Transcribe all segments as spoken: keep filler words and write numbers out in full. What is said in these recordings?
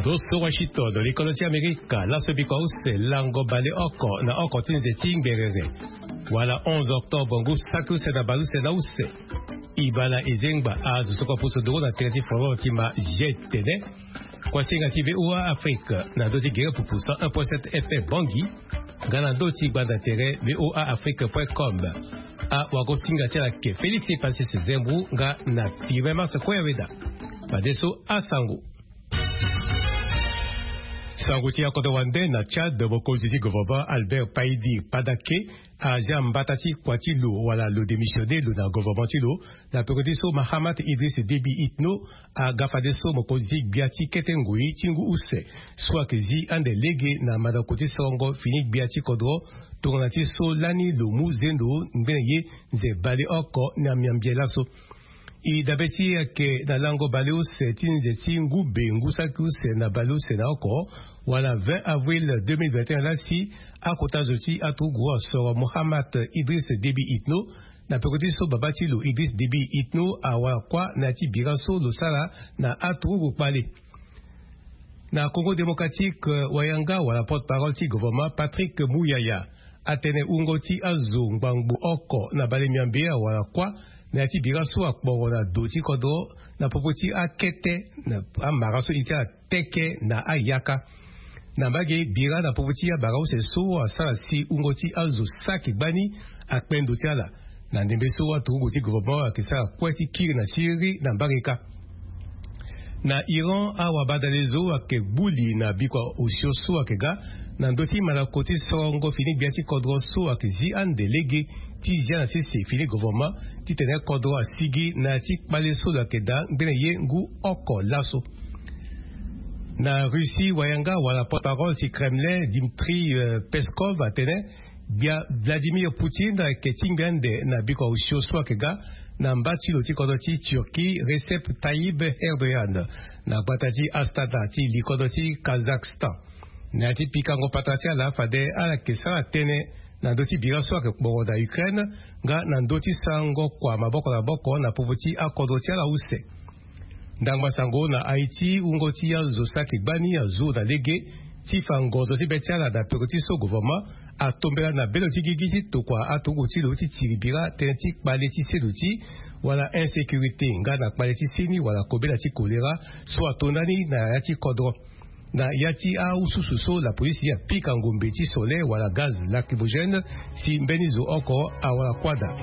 Lo so Washington, likolo ti Amerika, laso bikua use lango baleoko na oko ti nze ti ngberere, wala onze octobre ngu saki use na baleuse na use. Ibala ezengba azo so kua pusu nduru na tere ti folon ti ma je tene. Kuasinga ti VOA Afrique na ndö ti gere pupu cent un point sept F M Bangui, nga na ndö ti gbanda tere VOA Afrique point com. Awagosinga ti ala ke Félix Epasis Zembou nga na Firmin Mars Koyaweda. Fadeso asango. Sango ti akodro wande na Tchad, mokonzi ti gouvernement Albert Paidi Padake azia mbata ti kua ti lo wala lo démissionné lo na gouvernement ti lo na peko ti so Mahamat Idriss Déby Itno aga fadeso mokonzi ti gbia ti kete ngoi ti ngu use so ayeke zi ande lege na mandako ti sorongo fini gbia ti kodro tongana ti so lani lo mu zendo ngbene ye nze baleoko na miambie laso. E dabe ti e ayeke na lango baleuse ti nze ti ngu be ngu saki use na baleuse na oko wala vingt avril deux mille vingt et un lasi, akota zo ti aturugu asoro Mohamat Idriss Déby Itno na peko ti so baba ti lo Idriss Déby Itno awara kuâ na ya ti bira so lo sara na aturugu kpale. Na Congo Démocratique, wayanga wala porte-parole ti gouvernement Patrick Muyaya atene wungo ti azo ngbangbo oko na bale miambe awara kuâ na ya ti bira so akporo na do ti kodro na popo ti akete na amara so e ti ala teke na ayaka. Na mbage bira na popo ti abara use so asara si wungo ti azo saki gbani akpe ndo ti ala. Na ndembe so aturugu ti gouvernement ayeke sara kue ti kiri na siriri na mbage kâ. Na Iran, awabadale zo ayeke gbu li na bikua osio so ayeke ga na ndö ti mandako ti sorongo fini gbia ti kodro so ayeke zi ande lege ti zia na sese fini gouvernement titene kodro asigi na ya ti kpale so lo yeke daa ngbene ye ngu oko laso. Na Russie, wayanga wala porte-parole ti Kremlin Dmitri, euh, Peskov atene gbia Vladimir Poutine ayeke tingbi ande na bikua osio so ayeke ga na mba ti lo ti kodro ti Turquie Recep Tayyip Erdogan na gbata ti Astana ti li kodro ti Kazakhstan. Na ya ti pikango patara ti ala fade ala yeke sara tënë na ndö ti bira so ayeke kporo na Ukraine nga na ndö ti sarango kua maboko na maboko na popo ti akodro ti ala use. Ndangba sango na Haïti, wungo ti azo saki gbani azo na lege ti fa ngonzo ti be ti ala na peko ti so gouvernement atombela na belo ti gigi ti tokua aturugu ti lo ti tiri bira tënë ti kpale ti seduti wala insécurité nga na kpale ti seni wala kobela ti choléra so ato ndani na ya ti kodro. Na ya ti awususu so lapolisi apika ngombe ti sole wala gaz lacrymogène si mbeni zo oko awara kuâ daa.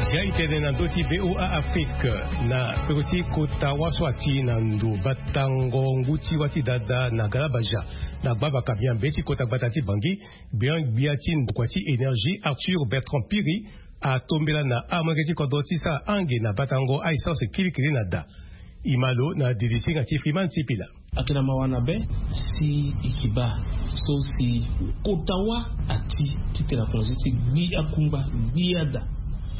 Ya e tene na ndö ti VOA Afrique, na peko ti kota wâ so ati na ndo batango ngu ti wâ ti dada na Galabaja na gbabaka miambe ti kota gbata ti Bangui, gbian gbia ti ndokua ti énergie Arthur Bertrand Piri atombela na amolenge ti kodro ti sara ange na batango a-essence kilikili na da. E ma lo na didisinga ti Freeman Sipila. Ayeke na mawa na be si e yeke baa so si kota wâ ati titene akonzi ti gbi akungba, gbi ada.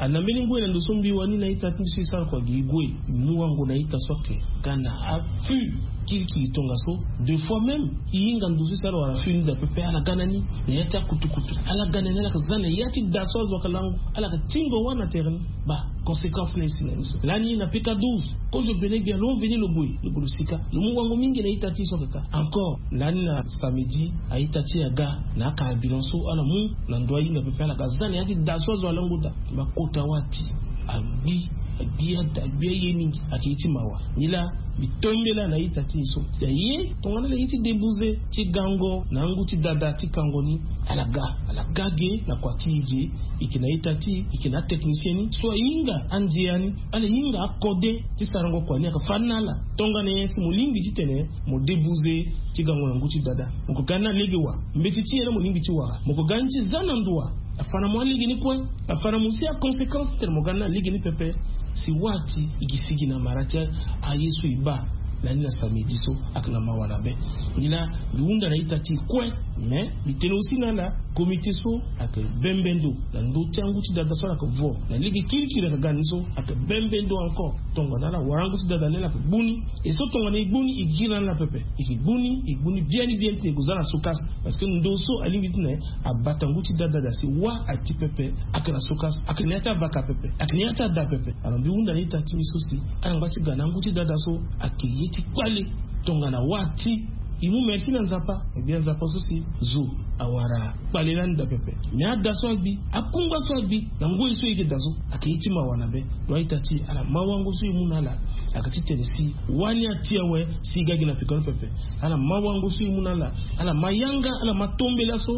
A na mbeni ngoi na ndo so mbi wani na ita ti mbi so e sara kua gi e gue, e mu wango na ita so ayeke ga na afût kirikiri tongaso. Deux fois même e hinga ndo so e sara wala afût ni daa pepe, ala ga na ni na ya ti akutukutu. Ala ga na ni, ala yeke za na ya ti da so azo ayeke lango, ala yeke tingo wâ na tere ni. Baa conséquence ni aye si na ni so. Lani na pika douze, kozo bene gbia lo veni lo gue, lo gue lo sika. Lo mu wango mingi na ita ti e so ayeke ka. Encore lani na samedi, a-ita ti e aga na acarburant so ala mu na ndo ahinga pepe, ala ga za na ya ti da so azo alango daa. Mbi kota wâ ati agbi, agbi ada, agbi aye mingi. Ayeke ye ti mawa. Nilaa mbi tombela na ita ti e so si aye tongana ala ye ti debuze ti gango na angu ti dada ti kango ni. Ala ga, ala ga ge na kua ti e ge. E yeke na ita ti e, e yeke na atechnicien ni so ahinga andia ni. Ala hinga akode ti sarango kua ni, ayeke fâ ni na ala. Tongana nyen si mo lingbi titene mo debuze ti gango na ngu ti dada? Mo yeke ga ni na lege wa? Mbeti ti nyen la mo lingbi ti wara? Mo yeke ga ni ti za na ndo wa? Afa na mo alege ni kue. Afa na mo si aconséquence titene mo ga ni na lege ni pepe. Si wâ ati e gi sigi na mara ti aye so e baa na ni na samedi so. Ayeke na mawa na be. Nilaa mbi hunda na ita ti e kue. Mais mbi tene aussi na ala, comité so ayeke bembe ndo na ndö ti angu ti dada so ala yeke vo na lege kirikiri ayeke ga ni so, ayeke bembe ndo encore. Tongana ala wara angu ti dada ni ala yeke gbu ni. E so tongana e gbu ni e gi na ala pepe, e yeke gbu ni, e gbu ni biani biani titene e gue za na sokase. Parce que ndo so alingbi titene abata ngu ti dada da si wa ati pepe. Ayeke na sokase, ayeke na ya ti abaka pepe, ayeke na ya ti ada pepe. Alors mbi hunda na ita ti mbi so si ala ngba ti ga na angu ti dada so ayeke ye ti kpale. Tongana wa ati, e mu merci na Nzapa. Ebien Nzapa so si zo awara kpale lani da pepe. Mais ada so agbi, akungba so agbi na ngoi so e yeke da so, ayeke ye ti mawa na be. Lo a-ita ti e, ala ma wango so e mu na ala, ayeke titene si wani ati awe, si e ga gi na pekoni pepe. Ala ma wango so e mu na ala, ala ma yanga, ala ma tombela so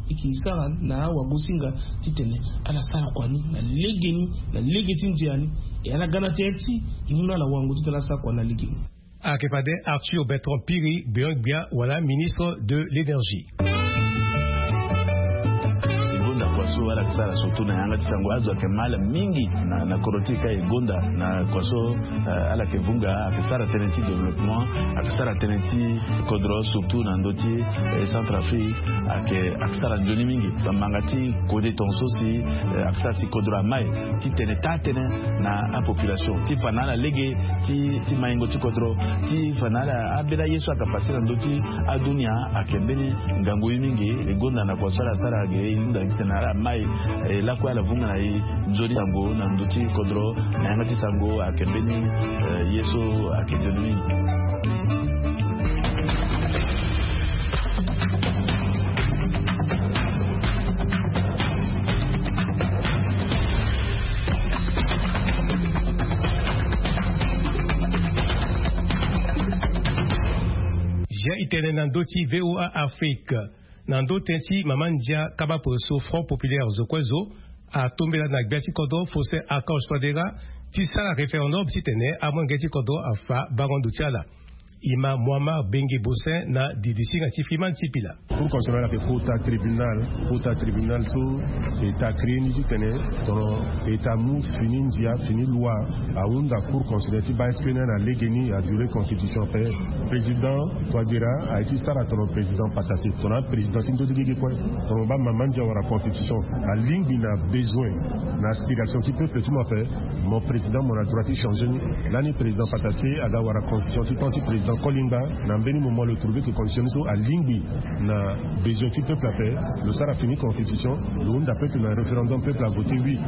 e ke sara na awagosinga, titene ala sara kua ni na legeni, na lege ti ndia ni. E ala ga na tere ti e mu na ala wango titene ala sara kua na legeni. Ayeke fade Arthur Bertrand Piri, gbion-gbia wala ministre de l'énergie. E gonda kua so ala yeke sara surtout na yanga ti sango, azo ayeke mal mingi na, na kodro ti e ka. E gonda na kua so, eh, ala yeke vunga, ayeke sara tënë ti développement, ayeke sara tënë ti kodro surtout na ndö ti, eh, Centrafrique. Ayeke, ayeke sara nzoni mingi. Bamanga ti kode tongaso si, eh, ayeke sara si kodro amai titene taa tënë na apopulation, ti fa na ala lege ti, ti maingo ti kodro, ti fa na ala abela ye so ayeke pase na ndö ti adunia. Ayeke mbeni ngangu ye mingi. E gonda na kua so ala sara ge, e hunda titene ala mai, eh, lakue ala vunga na e nzoni sango na ndö ti kodro na yanga ti sango. Ayeke mbeni, eh, ye so ayeke nzoni mingi. Zia e tene na ndö ti V O A Afrique, na ndö tënë ti mama ndia kaba pore so Front Populaire zo kue zo atombela na gbia ti kodro Faustin Archange Touadéra ti sara référendum titene amolenge ti kodro afa bango ndo ti ala. E ma Moamar Benge Bossin na didisinga ti Freeman Sipila. Cour constitutionnelle ayeke kota tribunal, kota tribunal so e ta créé ni titene tongana e ta mu fini ndia, fini loi, ahunda Cour constitutionnelle ti baa est-ce que ni na legeni, a violer constitution ape. Président Touadéra aye ti sara tongana président Patassé, tongana président ti ndö ti gigi kue, tongana baa mama ndia wara constitution, alingbi na besoin, na aspiration ti peuple ti mo ape. Mo président, mo na droit ti changer ni. Lani président Patassé aga wara constitution ti temps ti président Kolingba, na mbeni moment lo trouver que constitution ni so alingbi na besoin ti peuple ape, lo sara fini constitution, lo hunda peuple na référendum, peuple a voté oui.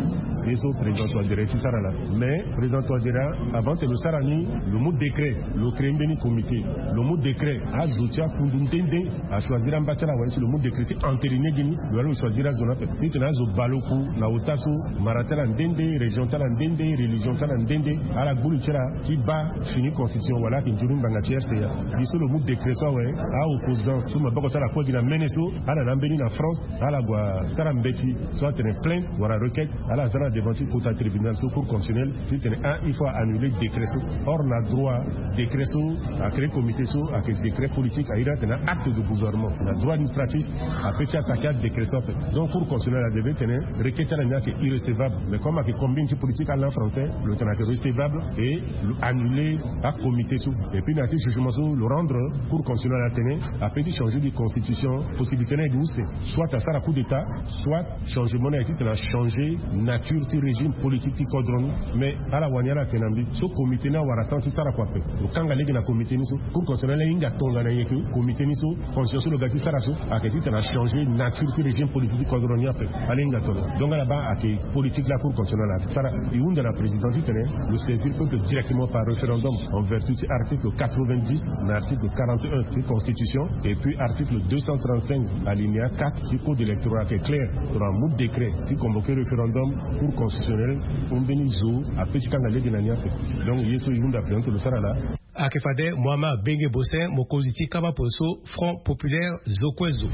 Ye so président Touadéra ti sara laa. Mais président Touadéra, avant que lo sara ni, lo mu décret, lo créé mbeni comité, lo mu décret, azo ti akundu nde nde a choisir amba ti ala wala si lo mu décret ti entériné gi ni, lo wala lo choisir azo ni ape. Titene azo bale oku na ota so, mara ti ala nde nde, région ti ala nde nde, religion ti ala nde nde, ala gbu li ti ala ti baa fini constitution wala ayeke nzoni ngbanga ti R C A. Li so lo mu décret so awe, a-opposant so maboko ti ala kue gi na mene so, ala na ambeni na France, ala gue asara mbeti so atene plainte wala requête, ala za na devant ti kota tribunal so, Cour constitutionnelle, titene ah, il faut annuler décret so. Or na droit, décret so a créé comité so ayeke décret politique, a iri atene acte de gouvernement. Na droit administratif apeut ti attaquer adécret so ape. Donc Cour constitutionnelle a devait tene requête ti ala ni ayeke irrecevable. Mais comme ayeke combine ti politique, ala na français, lo tene ayeke recevable et lo annuler acomité so. Et puis na ya ti jugement so lo rendre, Cour constitutionnelle atene apeut ti changer gi constitution, possibilité ni aye gi use, soit asara coup d'état, soit changement ni aye titene achanger nature ti régime politique ti kodro ni. Mais ala wani ala tene na mbi so comité ni awara temps ti sara kua ape. Lo kanga lege na comité ni so, Cour constitutionnelle ahinga tongana nyen ke comité ni so, constitution so lo ga ti sara so ayeke titene achanger nature ti régime politique ti kodro ni ape. Ala hinga tongana, donc ala baa ayeke politique la Cour constitutionnelle asara. E hunda na président titene lo saisir peuple directement par référendum en vertu ti article quatre-vingt-dix na article quarante et un ti constitution, et puis article deux cent trente-cinq alinéa quatre ti code électoral ayeke clair. Tongana amu décret ti convoquer référendum, Cour constitutionnelle, ambeni zo apeut ti kanga lege na ni ape. Donc ye so e hunda président lo sara laa. Ayeke fade Mohamed Benge Bossin, mokonzi ti kaba pore so Front Populaire zo kue zo.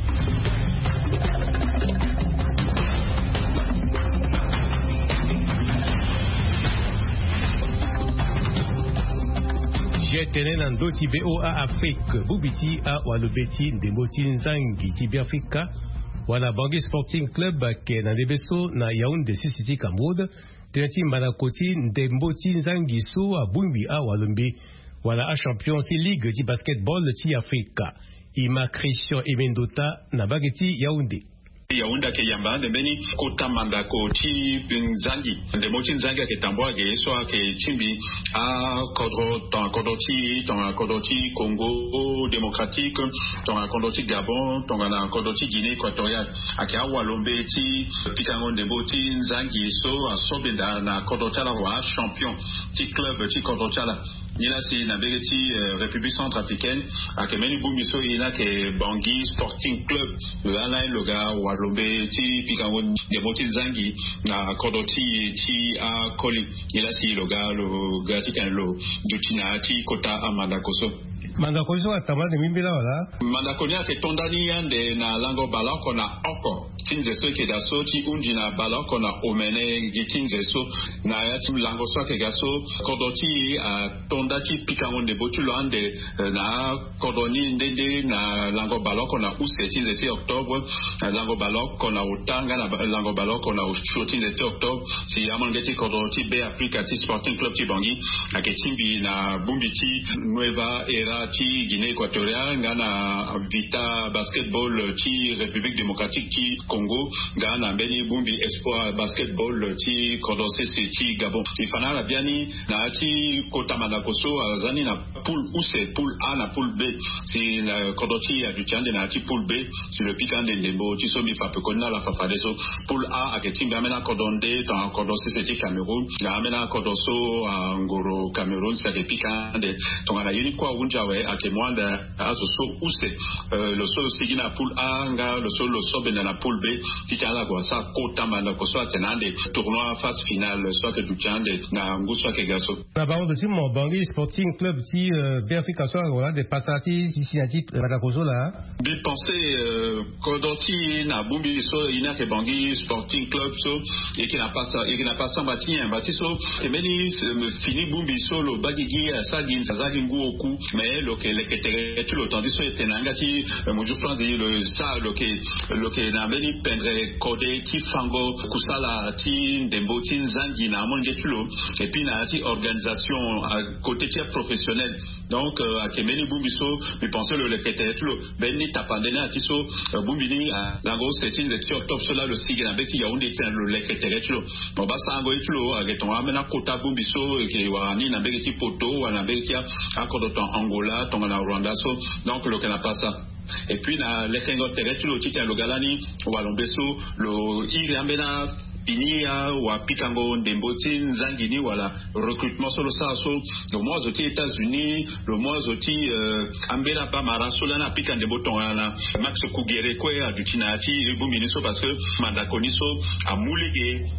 Zia tene na ndö ti V O A Afrique, bongbi ti awalobe ti ndembo ti nzangi ti Beafrika wala Bangui Sporting Club ayeke na ndembe so na Yaoundé, sese ti Cameroun, tënë ti mandako ti ndembo ti nzangi so abongbi awalobe wala achampion ti ligue ti basketball ti Afrika. E ma Christian Emendota na mbage ti Yaoundé. Yaoundé ayeke yamba ande mbeni kota mandako ti nzangi. Ndembo ti nzangi ayeke tambula ge so ayeke tingbi akodro, tongana kodro ti tongana kodro ti Congo Démocratique, tongana kodro ti Gabon, tongana kodro ti Guinée Équatoriale. Ayeke awalombe ti pikango ndembo ti nzangi so asobenda na kodro ti ala, wala achampion ti club ti kodro ti ala. Nilaa si na mbege ti République centrafricaine ayeke mbeni bongbi so e ni ayeke Bangui Sporting Club. Lo laa ni lo ga walombe ti pikango ndembo ti nzangi na kodro ti e ti akoli. Nilaa si lo ga lo ga titene lo duti na ya ti kota amandako so. Mandako so atambula ande mbeni mbela wala? Mandako ni ayeke to ndani ande na lango baleoko na oko ti nze so e yeke daa so ti hunzi na baleoko na omene gi ti nze so. Na ya ti lango so ayeke ga so, kodro ti e ato nda ti pikango ndembo ti lo ande na akodro ni nde nde na lango baleoko na use ti nze ti octobre, na lango baleoko na ota nga na lango baleoko na osio ti nze ti octobre. Si amolenge ti kodro ti Be Afrika ti Sporting Club ti Bangui ayeke tingbi na bongbi ti Nueva Era ti Guinée Équatoriale nga na Vita Basketball ti République Démocratique ti Congo nga na mbeni bongbi Espoir Basketball ti kodro sese ti Gabon. E fa na ala biani na ya ti kota mandako so aza ni na poule use, poule A na poule B. Si na kodro ti e aduti ande na ya ti poule B, si lo pika ande ndembo ti so mbi fa pekoni na ala fafadeso. Poule A ayeke tingbi ambeni akodro nde tongana kodro sese ti Cameroun, na ambeni akodro so angoro Cameroun si ayeke pika ande. Tongana ye ni kue ahunzi awe ayeke mu ande azo so use, lo so lo sigi na poule A nga lo so lo sobenda na poule B, titene ala gue asara kota mandako so atene ande tournoi phase finale so ayeke duti ande na ngu so ayeke ga so. Na bango ndo ti mo Bangui Sporting Club ti Be Afrika so awara ande pasa ti si na ti mandako so laa. Mbi pense kodro ti e na bongbi so e ni ayeke Bangui Sporting Club so e yeke na pasa, e yeke na pasa samba ti nyen? Mba ti so e mbeni fini bongbi so lo baa gigi asara gi, asara gi ngu oku. Mais lo yeke leke tere ti lo tandis so e tene na yanga ti Monzu France, lo sara lo yeke, lo yeke na mbeni pendre kode ti fango kusala ti ndembo ti nzangi na amolenge ti lo. Et puis na ya ti organisation côté ti aprofessionnel. Donc ayeke mbeni bongbi so mbi pense lo leke tere ti lo. Mbeni tapande ni ati so bongbi ni lango use ti nze ti octobre so laa lo sigi na mbeti Yaoundé ti tene lo leke tere ti lo. Mo baa sarango ye ti lo ayeke tongana ambeni akota bongbi so e yeke wara ni na mbege ti Poto wala na mbege ti akodro tongana Angola tongana Rwanda so. Donc lo yeke na pasa. Et puis na lekengo tere ti lo titene lo ga lani walombe so lo iri ambeni apini awapikango ndembo ti nzangi ni wala recrutement so lo sara so. Lo mu azo ti États-Unis, lo mu azo ti ambeni abamara so lani apika ndembo tongana Max Kugere kue aduti na ya ti bongbi ni so parce que mandako ni so amu lege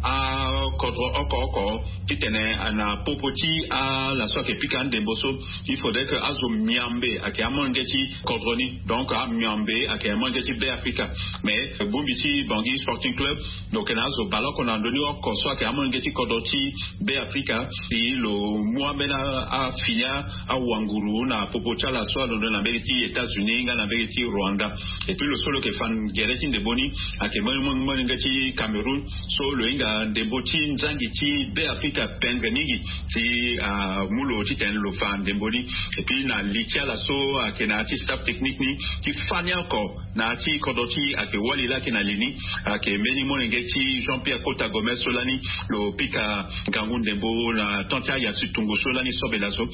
akodro oko oko titene na popo ti ala so ayeke pika andembo so. Il faudrait que azo miambe ayeke amolenge ti kodro ni. Donc amiambe ayeke amolenge ti Be Afrika. Mais bongbi ti Bangui Sporting Club lo yeke na azo baleoko na ndoni oko so ayeke amolenge ti kodro ti Be Afrika. Si lo mu ambeni afini awanguru na popo ti ala so alondo na mbege ti États-Unis nga na mbege ti Rwanda. Et puis lo so lo yeke fa gere ti ndembo ni ayeke molenge ti Cameroun. So lo hinga ndembo ti nzangi ti Be Afrika pendre mingi si amu lo titene lo fa ndembo ni. Et puis na li ti ala so ayeke na ya ti staff technique ni ti fani oko na ya ti kodro ti e ayeke wali laa ayeke na li ni. Ayeke mbeni molenge ti Jean Pierre Kota Gomez so lani lo pika ngangu ndembo na temps ti ayasi tungu so lani sobela so.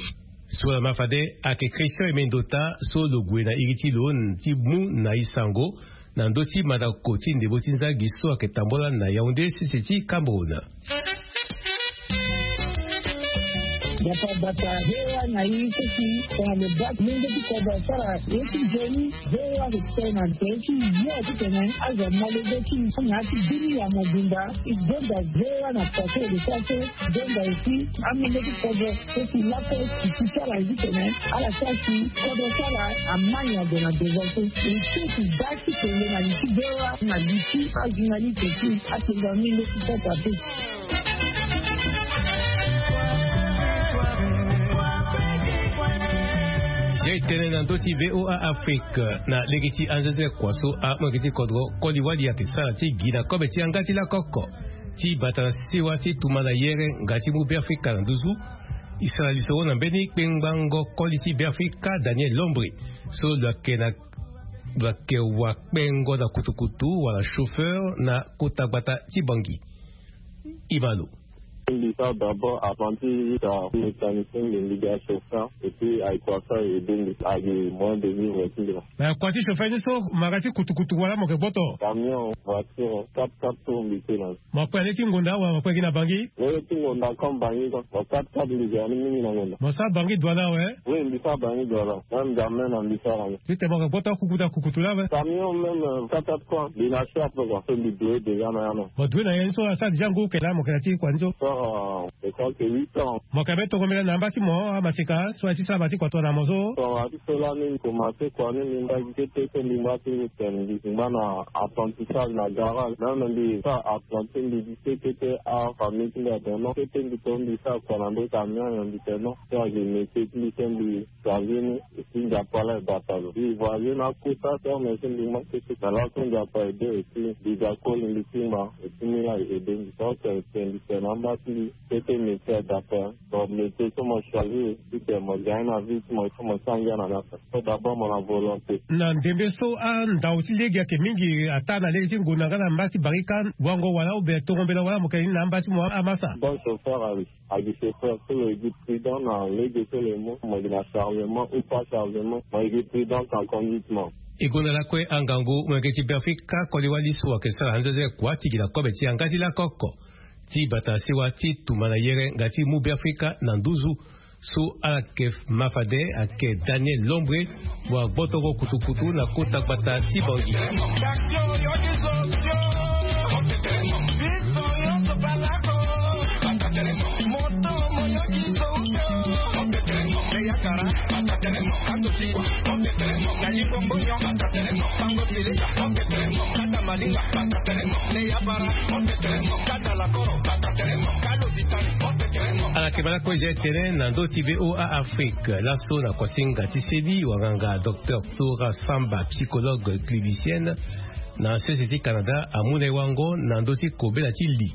Sula ma fade ayeke Christian Emendota so lo gue na iri ti lo ti mu na e sango na ndö ti mandako ti ndembo ti nzangi so ayeke tambula na Yaoundé sese ti Cameroun. Bata bata hewa na ye ti si tongana lo baa molenge ti kodro asara ye ti nzoni. Hewa ayeke tene na tere ti yo titene azo amolenge ti na ya ti bini ya mobimba. E gonda hewa na pase e de sara so. Gonda aussi amolenge ti kodro so si lape si ti sara ye titene ala sara si kodro ti ala ama nyango na devant so. E so si baa ti kende na li ti hewa na li ti ajournaliste ti atonga molenge ti kodro ape. Ye e tene na ndö ti VOA Afrique na lege ti anzenze kua so amolenge ti kodro koli wali ayeke sara ti gi na kobe ti yanga ti lakoko ti bata na sewa ti tumba na yere nga ti mu Be Afrika na nduzu. E sara lisoro na mbeni kpengbango koli ti Beafrika Daniel Lombre, so lo yeke na lo yeke wakpengo na kutukutu wala chauffeur na kota gbata ti Bangui. E ma lo. Mbi sara d'abord apprenti jusqu'à mécanicien, mbi mbi ga chauffeur et puis ayeke kua so aye aidé mbi, ayeke moyen de vivre ti mbi la. Mais kua ti chauffeur ni so, mo ga ti kutukutu wala mo yeke gboto? Camion, voiture, quatre quatre tour mbi te na. Mo kpe na le ti ngonda wala mo kpe gi na Bangui? Lele ti ngonda comme Bangui quoi. Mo quatre quatre mbi ga ni mingi na ngonda. Mo sara Bangui Douala awe? Oui, mbi sara Bangui Douala. Même jamais na mbi sara ni. Titene mo yeke gboto akukutu akukutu laa awe? Camion même, euh, quatre quatre quoi. Mbi na si ape quoi. So mbi doye déjà na ya na. Mo doye na ya ni so asara déjà ngu oko laa mo yeke na ti kua ni so? Sara, euh, je crois que huit ans. Mo yeke be tongo mbela na amba ti mo amaseka so aye ti sara ma ti kua tongana mo so? Tongana ti so lani mbi komanse kua ni mbi ngba gi kete so mbi ngba ti ngu tene mbi ngba na apprentissage na garage. Même mbi sara apprenti mbi gi kete kete afamille ti mbi adono kete mbi to mbi sara kua na ndo camion nyen mbi tene non. So ayeke métier ti mbi so mbi choisi ni. Et puis Nzapa laa e bata lo. Mbi voyagé na akota so mais so mbi ngba kete na laso Nzapa aidé et puis mbi ga koli mbi tingba et puis mbi laa e aidé mbi so tene tene mbi tene na amba ti mbi. Kete métier adapté. Bon, métier so mo choisi titene mo gagne na vie ti mo, il faut mo ti angia na ni ape. Faut d'abord mo na volonté. Na ndembe so andau ti lege ayeke mingi ataa na lege ti ngonda nga na mba ti barika, wango wala obe tongo mbela wala mo yeke ni na amba ti mo amasa? Bon chauffeur awe. Ayeke chauffeur so lo yeke prudent na lege so lo ye mu, mo yeke na chargement ou pas chargement, mo yeke prudent na conduite mo. E gonda lakue angangu molenge ti Beafrika koli wali so ayeke sara anzenze kua ti gi na kobe ti yanga ti lakoko ti bata sewa ti tumba na yere nga ti mu Beafrika na nduzu. So ala yeke ma fade ayeke Daniel Lombre, wa gbotoko kutukutu na kota gbata ti Bangui. Ala yeke ma lakue tene na ndö ti VOA Afrique laso na kuasinga ti seni wanganga docteur Tora Samba, psychologue clinicienne na sese ti Canada, amu na e wango na ndö ti kobela ti li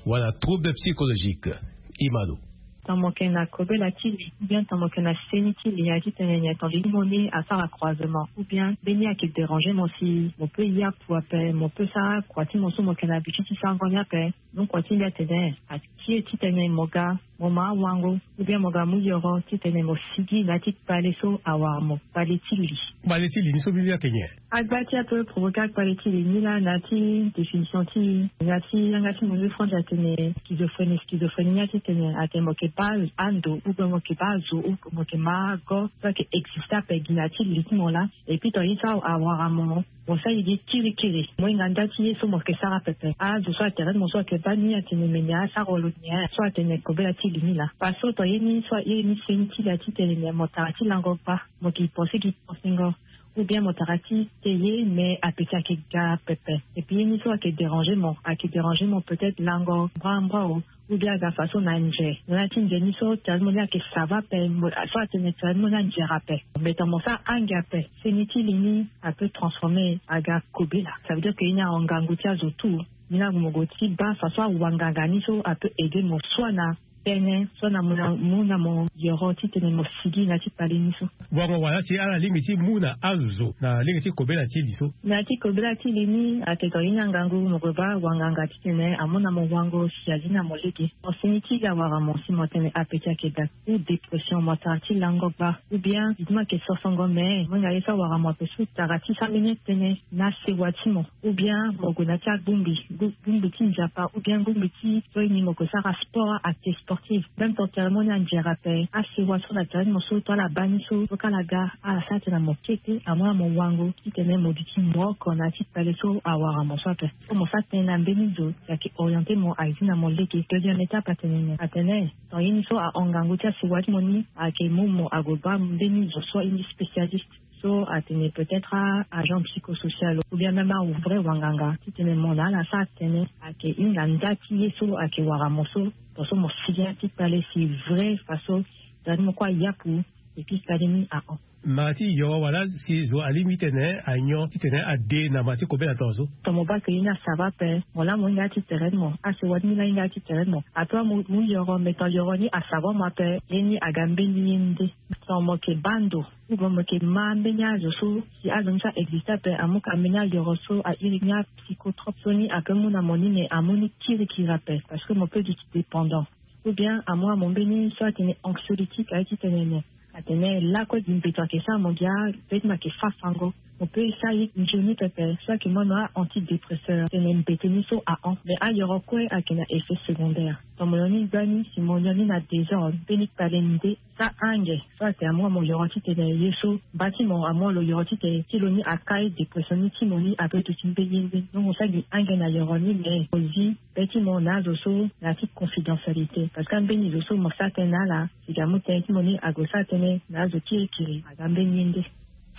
wala trouble psychologique. E ma lo. Tongana mo yeke na kobela ti li ou bien tongana mo yeke na seni ti li, aye titene nyen? Tongana li mo ni asara croisement ou bien mbeni ayeke déranger mo si mo peut yapu ape, mo peut sara kua ti mo so mo yeke na habitude ti sarango ni ape. Donc kua ti mbi atene atie titene mo ga mo ma awango ou bien mo ga mu yoro titene mo sigi na ya ti kpale so awara mo, kpale ti li. Kpale ti li ni so mbi mbi ayeke nyen? Agba ti ape provoquer akpale ti li ni laa na ya ti définition ti e, na ya ti yanga ti mo ni franche atene schizophrénie. Schizophrénie ni atitene atene mo yeke baa ando ou bien mo yeke baa azo ou mo yeke ma ago so ayeke existe ape gi na ya ti li ti mo laa. Et puis tongana ye so awara mo, mo sara ye gi kirikiri, mo hinga nda ti ye so mo yeke sara pepe. Azo so atene mo so ayeke baa ni atene me nyen asara lo nyen so atene kobela ti li ni laa. Parce que tongana ye ni so ye ni seni ti li atitene nyen, mo tara ti lango gba, mo yeke pense gi pensengo ou bien mo tara ti te ye, mais apeti ayeke ga pepe. Et puis ye ni so ayeke déranger mo, ayeke déranger mo peut-être lango mbrambra o, ou bien aga façon na nze. Na ya ti nze ni so tene mo ni ayeke sava ape, mo so atene tene mo ni anzere ape. Mais tongana mo sara ange ape, seni ti li ni apeut transformer aga kobela. Ça veut dire que ye ni ahon ngangu ti azo tout. Ni laa mo gue ti baa façon awanganga ni so apeut aider mo soit na tene so na mo na mo na mo yoro titene mo sigi na ya ti kpale ni so. Wango wala ti ala lingbi ti mu na azo na lege ti kobela ti li so. Na ya ti kobela ti li ni atene tongana ye ni angangu mo gue baa wanganga titene amu na mo wango si azi na mo lege. Mo seni ti li awara mo si mo tene apeti ayeke da ou dépression, mo tara ti lango gba ou bien li ti mo ayeke sosongo me mo hinga ye so awara mo ape so tara ti sara mbeni tënë na sewa ti mo. Ou bien mo gue na ya ti agbongbi, gbongbi ti Nzapa ou bien gbongbi ti so ye ni mo gue sara sport, acte sportif. Même ton tere mo ni anzere ape, asewa so na tere ti mo so to ala baa ni so so ka ala ga ala sara tënë na mo kete amu na mo wango titene mo duti mo oko na ya ti kpale so awara mo so ape. So mo sara tënë na mbeni zo si ayeke orienter mo aye zi na mo lege. Deuxième étape atene nyen? Atene tongana ye ni so ahon ngangu ti asewa ti mo ni ayeke mu mo ague baa mbeni zo so ye ni spécialiste. So atene peut-être a agent psychosocial ou bien même a vrai wanganga titene mo na ala sara tënë ayeke hinga nda ti ye so ayeke wara mo so. Tongaso mo sigi na ya ti kpale si vrai façon tongana ni mo kue ayapu Epui kpale ni ahon. Mara ti yoro wala si zo alingbi titene anyon titene ade na mara ti kobela tongaso. Ton mo bake ye ni asava ape. Mo la mo hinga ya ti tere ni mo, asewa ni la hinga ya ti tere ni mo. Ape mo mu yoro me ton yoro ni asava mo ape, ye ni aga mbeni ye nde. Ton mo yeke baa ndo, ou bien mo yeke ma mbeni azo so si azo ni so a existe ape, amu ka mbeni ayoro so a iri ni apsychotrope so ni ape mu na mo ni me amu ni kirikiri ape parce que mo peut duti dépendant. Ou bien amu amu mbeni so atene anxiolytique aye ti tene ne. Atene lakue gi mbeto ayeke sara mo gi a, mbeni mo ayeke fa fango. Mo peut sara ye nzoni pepe so ayeke mu anu a antidépresseur tene mbete ni so ahon. Mais ayoro kue ayeke na effet secondaire. Ton mo nyon ni gbani si mo nyon ni na désordre mbeni kpale ni nde. Sa ange so atene amu amu yoro titene ye so mba ti mo amu alo yoro titene ti lo ni akai dépression ni ti mo ni ape duti mbeni ye mbeni. Donc mo sara gi ange na yoro ni me mo zi be ti mo na azo so na ya ti confidentialité parce que ambeni zo so mo sara tënë na ala. Sigi amu tënë ti mo ni ague sara tënë na azo ti ekiri aga mbeni ye nde.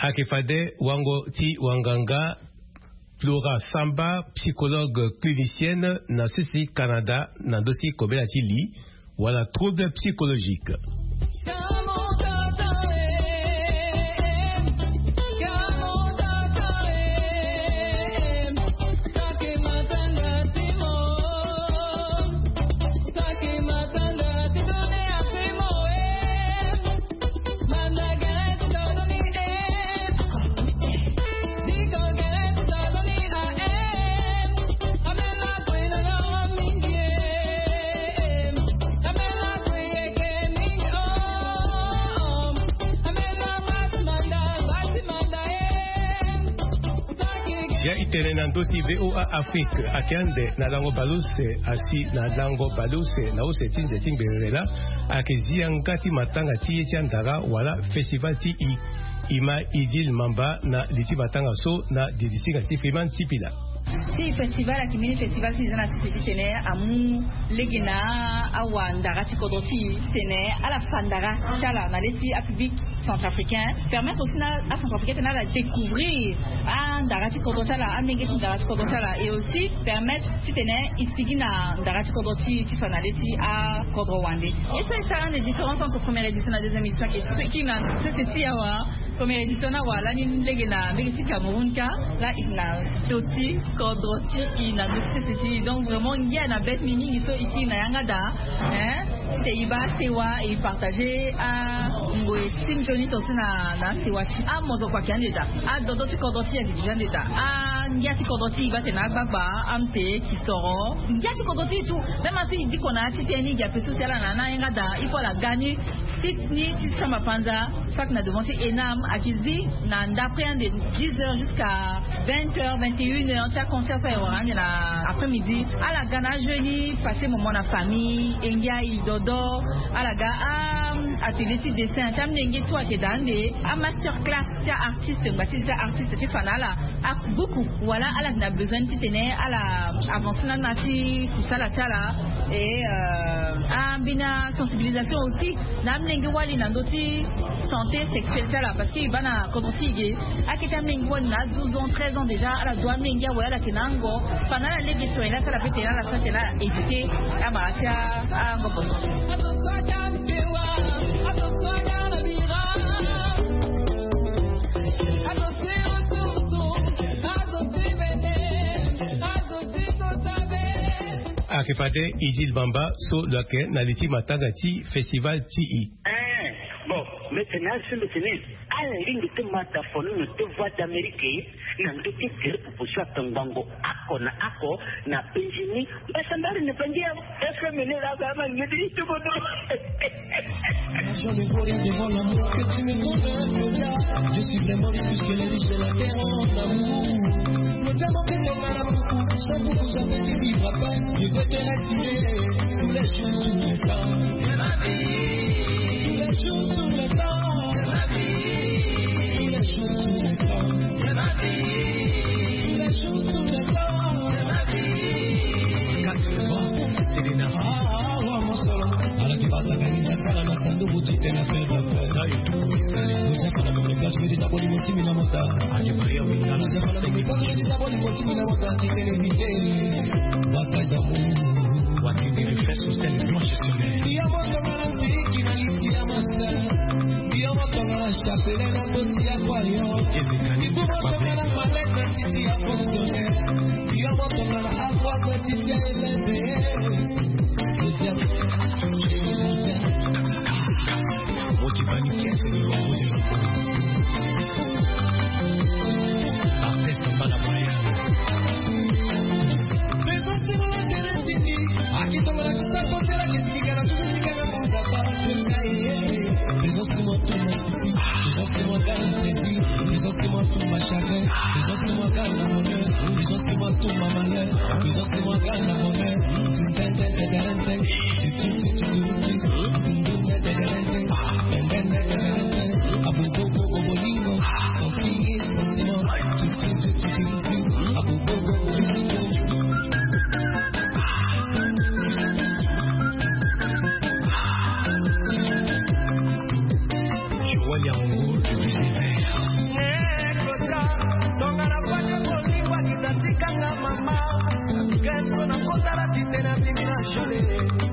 Ayeke fade wango ti wanganga Flora Samba, psychologue clinicienne na sese ti Canada, na ndö ti kobela ti li wala trouble psychologique. Zia itene na ndö ti VOA Afrique ayeke ande na lango baleuse asi na lango baleuse na use ti nze ti ngberere laa. Ayeke zi yanga ti matanga ti ye ti andara wala festival ti i. I ma Idil Mamba na li ti matanga so na dilisinga ti Freeman Sipila. Si festival ayeke mbeni festival so e za na sese ti tene amu lege na awa ndara ti kodro ti e ti tene ala fa ndara ti ala na le ti apublic centrafricain, permettre aussi na acentrafricain ti tene ala découvrir andara ti kodro ti ala, amenge ti ndara ti kodro ti ala, et aussi permettre ti tene e sigi na ndara ti kodro ti e ti fa na le ti akodro wande. Et ça, ça a une différence entre première édition et la deuxième édition, qui, qui na sese ti awa. Première édition ni awa lani lege na mbege ti Cameroun kâ, la e na ndö ti kodro ti e, na ndö ti sese ti e. Donc vraiment ngia na be ti mbi mingi so e kiri na yanga daa, hein, ti tene e baa sewa, e partager angoi ti nzoni tongaso na, na asewa ti e. Amozoko ayeke ande daa, adodo ti kodro ti e ayeke déjà ande daa, angia ti kodro ti e baa tene agbagba, ampe, kisoro, ngia ti kodro ti e tout. Même asi e diko na ya ti tënë ni, e gi ape so si ala na ni ayanga daa, il faut ala ga ni site ni ti samba panza, so ayeke na devant ti ENAM, ayeke zi na ndapre ande dix heures jusqu'à vingt heures, vingt et une heures, ti aconcert so ayeke wara ande na après-midi. Ala ga na ajeu ni, passer moment na famille, e ngia e dodo. Ala ga a atelier ti dessin ti amolenge, tout ayeke daa ande. Amaster class ti aartiste, ngba ti zi ti aartiste ti fa na ala abuku, wala ala yeke na besoin ti tene ala avancer na na ti kusala ti ala. Et euh, ambeni asensibilisation aussi na amolenge wali na ndö ti santé sexuelle ti ala, parce que e baa na kodro ti e ge, akete amolenge wali na a douze ans, treize ans déjà, ala du amolenge awe, ala yeke na ango. Fa na ala lege tongana ala sara pe tene ala sara tene ala éviter amara ti ango bongo. Ayeke fade Idil Bamba so lo yeke na li ti matanga ti festival ti e. Eh, bon, mbi tene azo so mbi tene ala lingbi ti ma ta fo ni na ndö ti Voix d'Amérique, na ndö ti tere popo so atongbango oko na oko na penzi ni. Mbasambari na bangi awe. Est-ce que mene la ba ma ngedi itobodo? Je me corrige devant l'amour que tu me donnes, Claudia. Je suis vraiment riche puisque les riches de la terre ont l'amour. Claudia, mon cœur, mon amour, sans vous, vous avez dit, vivra pas. Je veux te respirer tous les jours, tout le temps. Tous les jours, tout le temps. Tous les jours, tout le temps. Tous les jours, tout le temps. Ala ti bata kanisa ti ala na sanduku ti tene na fere. Joseph ala mene place mene ti aboli mo ti mina mota. Joseph ala mene place mene ti aboli mo ti mina mota ti tene vite. Bata d'amour. Watini le fait social et blanche solaire. Yo motonga na siki na liti ya masa. Yo motonga na chapelet na koti ya kwayo. Yo motonga na malette na titi ya fonctionnaire. Yo motonga na ardoise na titi ya eleve. Motivani kiasi ni wango de la. Artiste Mbala Brian. Joël Yango de l'univers. Nekota, tonga na bwate bolingo akita tikanga mama. Keso na kota la tite na bimi na jole.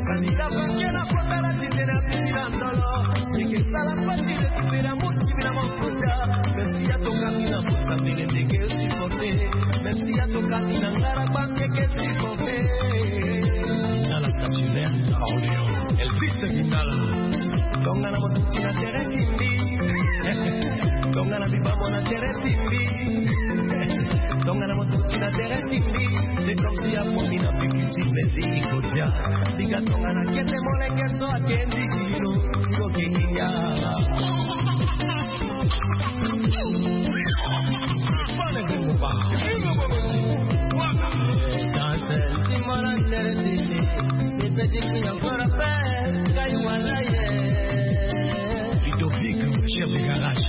Kanila banke na kota la tite na bimi na ndolo. Eke sala pati de kupira muti na mokota. Merci ya tonga mina musa mele ndeke supporter. Merci ya tonga mina ngara banke ke supporter. Dans la statuaire à Orléans. Elvis Bindala. Tonga na motuti na tere timbi. Tonga na bibamo na tere timbi. Tonga na motuti na tere timbi. C'est comme si à Pombi na Pipiti, mais il faut dire. Diga tonga na kete moleke so akendi kilo. Silo ke inga. Ludovic, chef de garage.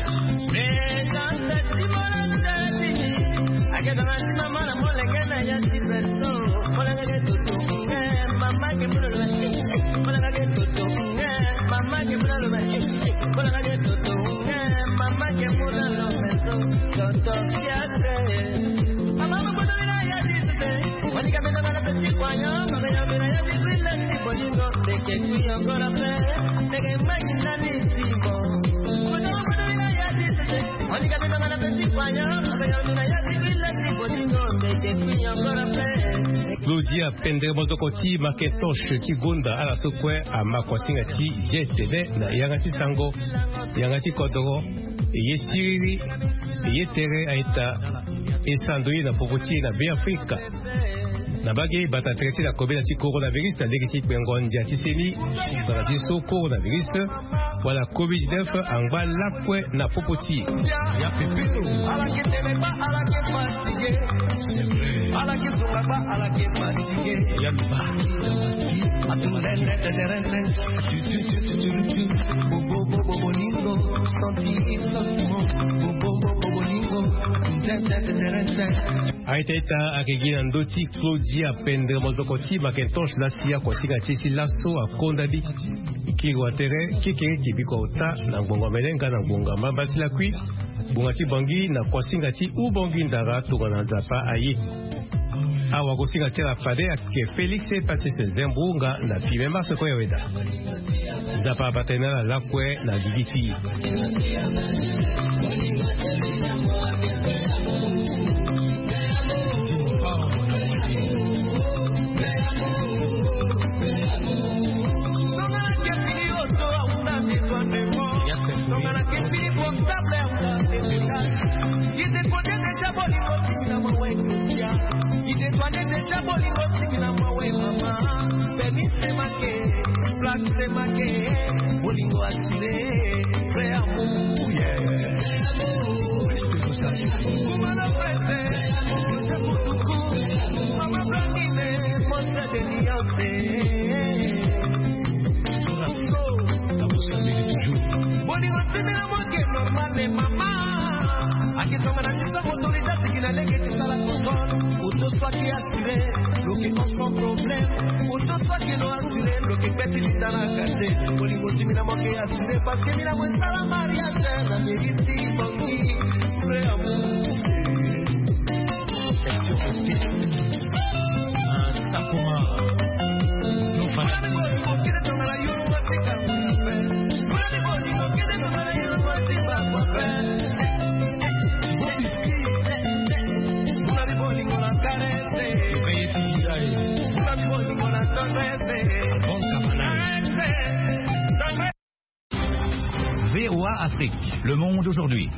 Claudia Pendre Mozoko ti Macintosh ti Gonda, ala so kue ama kuasinga ti ye tene na yanga ti sango, yanga ti kodoro, e ye siriri, e ye tere, a-ita e sando ye na popo ti e na Beafrika. Na mbage bata tere ti na kobela ti coronavirus na lege ti kpengo ndia ti seni, bata ti so coronavirus wala covid dix-neuf angba lakue na popo ti e. Ya pepelo. Aita ita ake gi na ndö ti Claudia Pendre Mozoko ti Macintosh lasi akuasinga ti e ti laso akonda ni. Kiri wa tere, kekere ke biko ota na ngbonga mene nga na ngbonga mbamba ti lakui. Ngbonga ti Bangui na kuasinga ti Ubangui Ndara tongana Nzapa aye. Awagosinga ti ala fade ayeke Félix Patrice Zembou nga na Filemon Sekoya Weda. Nzapa abata na ala lakue na gigi ti e. Bolingo ti mbi na mo ke normal, mama. Ake tongana ti sango toli ti asigi na lege ti sala kosol. Oto so ake assuré, lo ke ensemble problème. Oto so ake no assuré, lo ke kpe ti lita na kate. Bolingo ti mbi na mo ke assuré, parce que mbi na mo esala mariage na mérite ti Bangui. Vrai amour. Action. Ah, Sakuma. Afrique, le monde aujourd'hui.